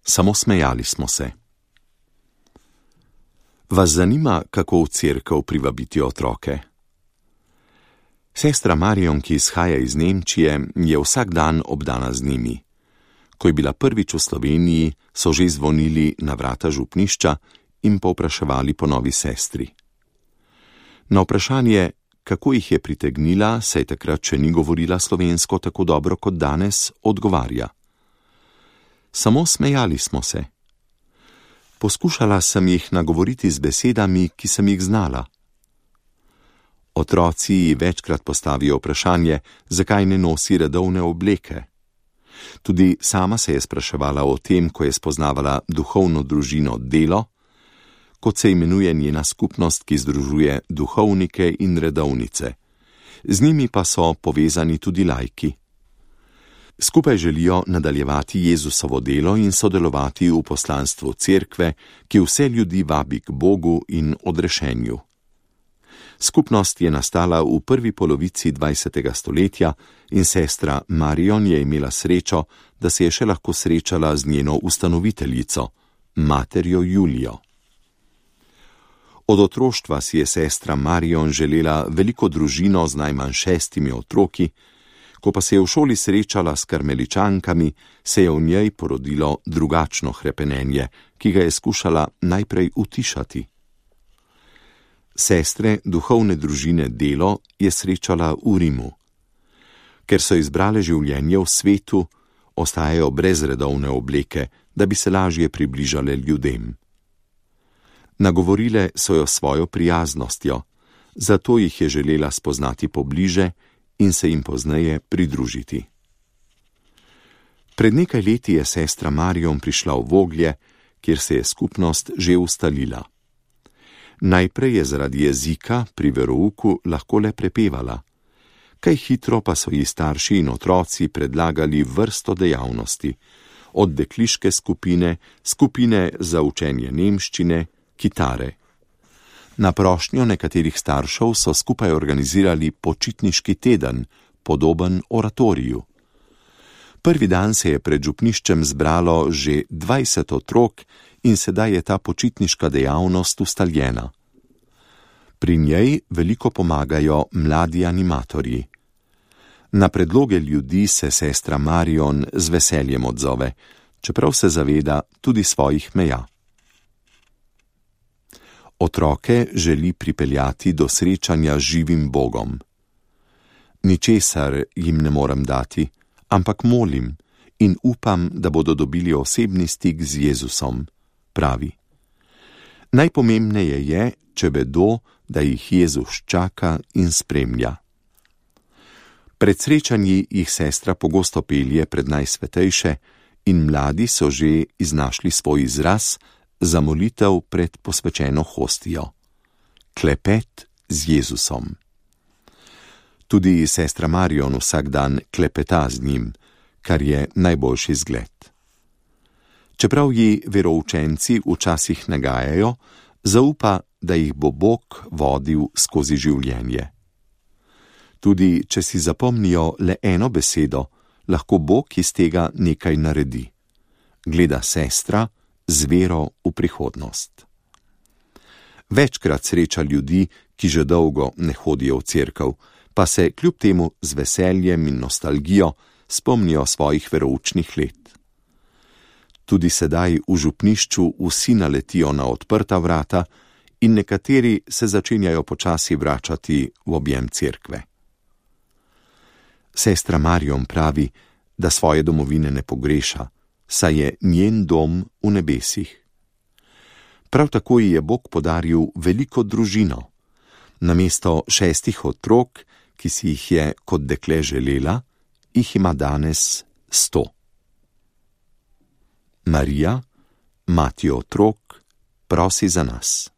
Samo smejali smo se. Vas zanima, kako v cerkev privabiti otroke? Sestra Marion, ki izhaja iz Nemčije, je vsak dan obdana z njimi. Ko je bila prvič v Sloveniji, so že zvonili na vrata župnišča in povpraševali po novi sestri. Na vprašanje, kako jih je pritegnila, saj takrat še ni govorila slovensko tako dobro kot danes, odgovarja: Samo smejali smo se. Poskušala sem jih nagovoriti z besedami, ki sem jih znala. Otroci ji večkrat postavijo vprašanje, zakaj ne nosi redovne obleke. Tudi sama se je spraševala o tem, ko je spoznavala duhovno družino Delo, kot se imenuje njena skupnost, ki združuje duhovnike in redovnice. Z njimi pa so povezani tudi laiki. Skupaj želijo nadaljevati Jezusovo delo in sodelovati v poslanstvu cerkve, ki vse ljudi vabi k Bogu in odrešenju. Skupnost je nastala v prvi polovici 20. stoletja in sestra Marion je imela srečo, da se je še lahko srečala z njeno ustanoviteljico, materjo Julijo. Od otroštva si je sestra Marion želela veliko družino z najmanj 6 otroki, ko pa se je v šoli srečala s karmeličankami, se je v njej porodilo drugačno hrepenenje, ki ga je skušala najprej utišati. Sestre duhovne družine Delo je srečala v Rimu. Ker so izbrale življenje v svetu, ostajajo brez redovne obleke, da bi se lažje približale ljudem. Nagovorile so jo svojo prijaznostjo, zato jih je želela spoznati pobliže in se jim pozneje pridružiti. Pred nekaj leti je sestra Marion prišla v Voglje, kjer se je skupnost že ustalila. Najprej je zaradi jezika pri verouku lahko le prepevala. Kaj hitro pa so ji starši in otroci predlagali vrsto dejavnosti, od dekliške skupine, skupine za učenje nemščine, kitare. Na prošnjo nekaterih staršev so skupaj organizirali počitniški teden, podoben oratoriju. Prvi dan se je pred župniščem zbralo že 20 otrok in sedaj je ta počitniška dejavnost ustaljena. Pri njej veliko pomagajo mladi animatorji. Na predloge ljudi se sestra Marion z veseljem odzove, čeprav se zaveda tudi svojih meja. Otroke želi pripeljati do srečanja z živim Bogom. Ničesar jim ne morem dati, ampak molim in upam, da bodo dobili osebni stik z Jezusom, pravi. Najpomembneje je, če vedo, da jih Jezus čaka in spremlja. Pred srečanji jih sestra pogosto pelje pred najsvetejše in mladi so že iznašli svoj izraz za molitev pred posvečeno hostijo. Klepet z Jezusom. Tudi sestra Marion vsak dan klepeta z njim, kar je najboljši zgled. Čeprav ji veroučenci včasih nagajajo, zaupa, da jih bo Bog vodil skozi življenje. Tudi če si zapomnijo le eno besedo, lahko Bog iz tega nekaj naredi. Gleda sestra z vero v prihodnost. Večkrat sreča ljudi, ki že dolgo ne hodijo v cerkev, pa se kljub temu z veseljem in nostalgijo spomnijo svojih veroučnih let. Tudi sedaj v župnišču vsi naletijo na odprta vrata in nekateri se začenjajo počasi vračati v objem cerkve. Sestra Marion pravi, da svoje domovine ne pogreša, saj je njen dom v nebesih. Prav tako ji je Bog podaril veliko družino. Namesto 6 otrok, ki si jih je kot dekle želela, jih ima danes 100. Marija, mati otrok, prosi za nas.